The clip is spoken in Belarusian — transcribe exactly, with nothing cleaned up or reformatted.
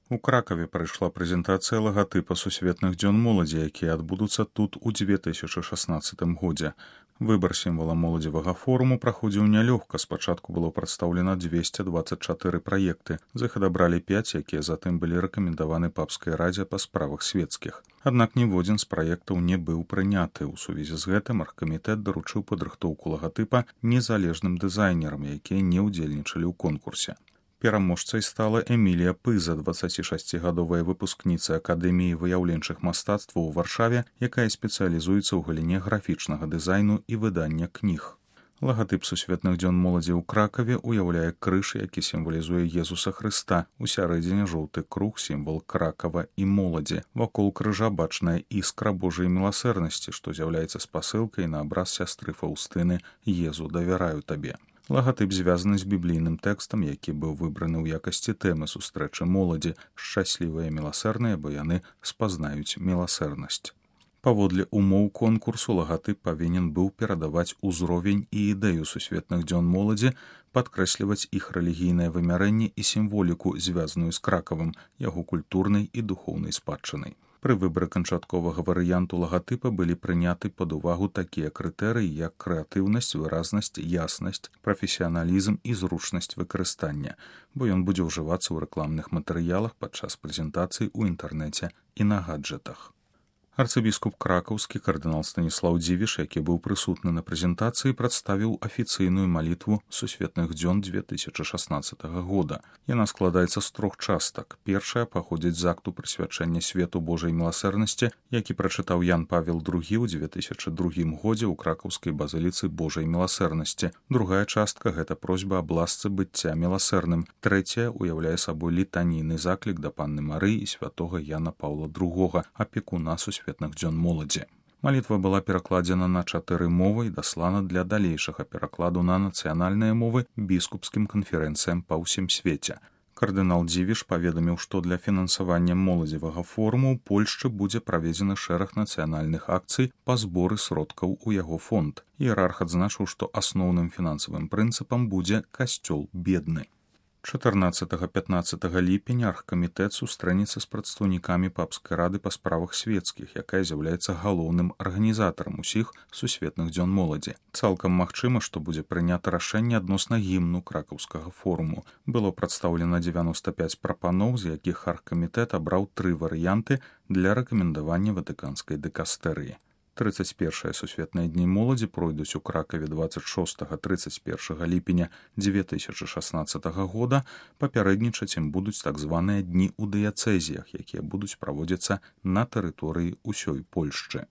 У Кракаве прайшла прэзентацыя лагатыпа сусветных дзён моладзі, якія адбудуцца тут у дзве тысячы шаснаццатым годзе. Выбар сімвала моладзевага форуму праходзіў нялёгка. Спачатку было прадстаўлена дзвесце дваццаць чатыры праекты. З іх адабралі пяць, якія затым былі рэкамендаваны папскай радзе па справах свецкіх. Аднак ніводзін з праектаў не быў прыняты. У сувязі з гэтым аргкамітэт даручыў падрыхтоўку лагатыпа незалежным дызайнерам, якія не ўдзельнічалі ў конкурсе. Пераможцай стала Эмілія Пыза, дваццацішасцігадовая выпускніца Акадэміі выяўленчых мастацтваў у Варшаве, якая спецыялізуецца ў галіне графічнага дызайну і выдання кніг. Лагатып сусветных дзён моладзі ў Кракаве уяўляе крыж, які сімвалізуе Езуса Хрыста. Усярэдзіне жоўты круг, сімвал Кракава і моладзі. Вакол крыжа бачная іскра Божай міласэрнасці, што з'яўляецца спасылкай на абраз сястры Фаўстыны «Езу, давяраю табе». Лагатып звязаны з біблійным тэкстам, які быў выбраны ў якасці тэмы сустрэчы моладзі «Шчаслівыя міласэрныя, бо яны спазнаюць міласэрнасць». Паводле умоў конкурсу лагатып павінен быў перадаваць узровень і ідэю сусветных дзён моладзі, падкрэсліваць іх рэлігійнае вымярэнне і сімволіку, звязаную з Кракавам, яго культурнай і духоўнай спадчынай. Пры выбары канчатковага варыянту лагатыпа былі прыняты пад увагу такія крытэрыі, як крэатыўнасць, выразнасць, яснасць, прафесіяналізм і зручнасць выкарыстання, бо ён будзе ўжывацца ў рэкламных матэрыялах падчас прэзентацый у інтэрнэце і на гаджэтах. Арцыбіскуп кракаўскі кардынал Станіслаў Дзівіш, які быў прысутны на прэзентацыі, прадставіў афіцыйную малітву сусветных дзён дзве тысячы шаснаццатага года. Яна складаецца з трох частак. Першая паходзіць з акту прысвячэння свету Божай міласэрнасці, які прачытаў Ян Павел другі ў дзве тысячы другім годзе ў кракаўскай базыліцы Божай міласэрнасці. Другая частка — гэта просьба аб ласцы быцця міласэрным. Трэцяя уяўляе сабой літанійны заклік да Панны Марыі і святога Яна Паўла другога, апекуна сусветных дзён моладзі. Малітва была перакладзена на чатыры мовы і даслана для далейшага перакладу на нацыянальныя мовы біскупскім канферэнцыям па ўсім свеце. Кардынал Дзівіш паведаміў, што для фінансавання моладзевага форуму ў Польшчы будзе праведзены шэраг нацыянальных акцый па зборы сродкаў у яго фонд. Іерарх адзначыў, што асноўным фінансавым прынцыпам будзе касцёл бедны. чатырнаццатага-пятнаццатага ліпеня аргкамітэт сустрэнецца з прадстаўнікамі папскай рады па справах свецкіх, якая з'яўляецца галоўным арганізатарам усіх сусветных дзён моладзі. Цалкам магчыма, што будзе прынята рашэнне адносна гімну кракаўскага форуму. Было прадстаўлена дзевяноста пяць прапаноў, з якіх аргкамітэт абраў тры варыянты для рэкамендавання ватыканскай дыкастэрыі. трыццаць першыя сусветныя дні моладзі пройдуць у Кракаве дваццаць шостага - трыццаць першага ліпеня дзве тысячы шаснаццатага года. Папярэднічаць ім будуць так званыя дні ў дыяцэзіях, якія будуць праводзіцца на тэрыторыі ўсёй Польшчы.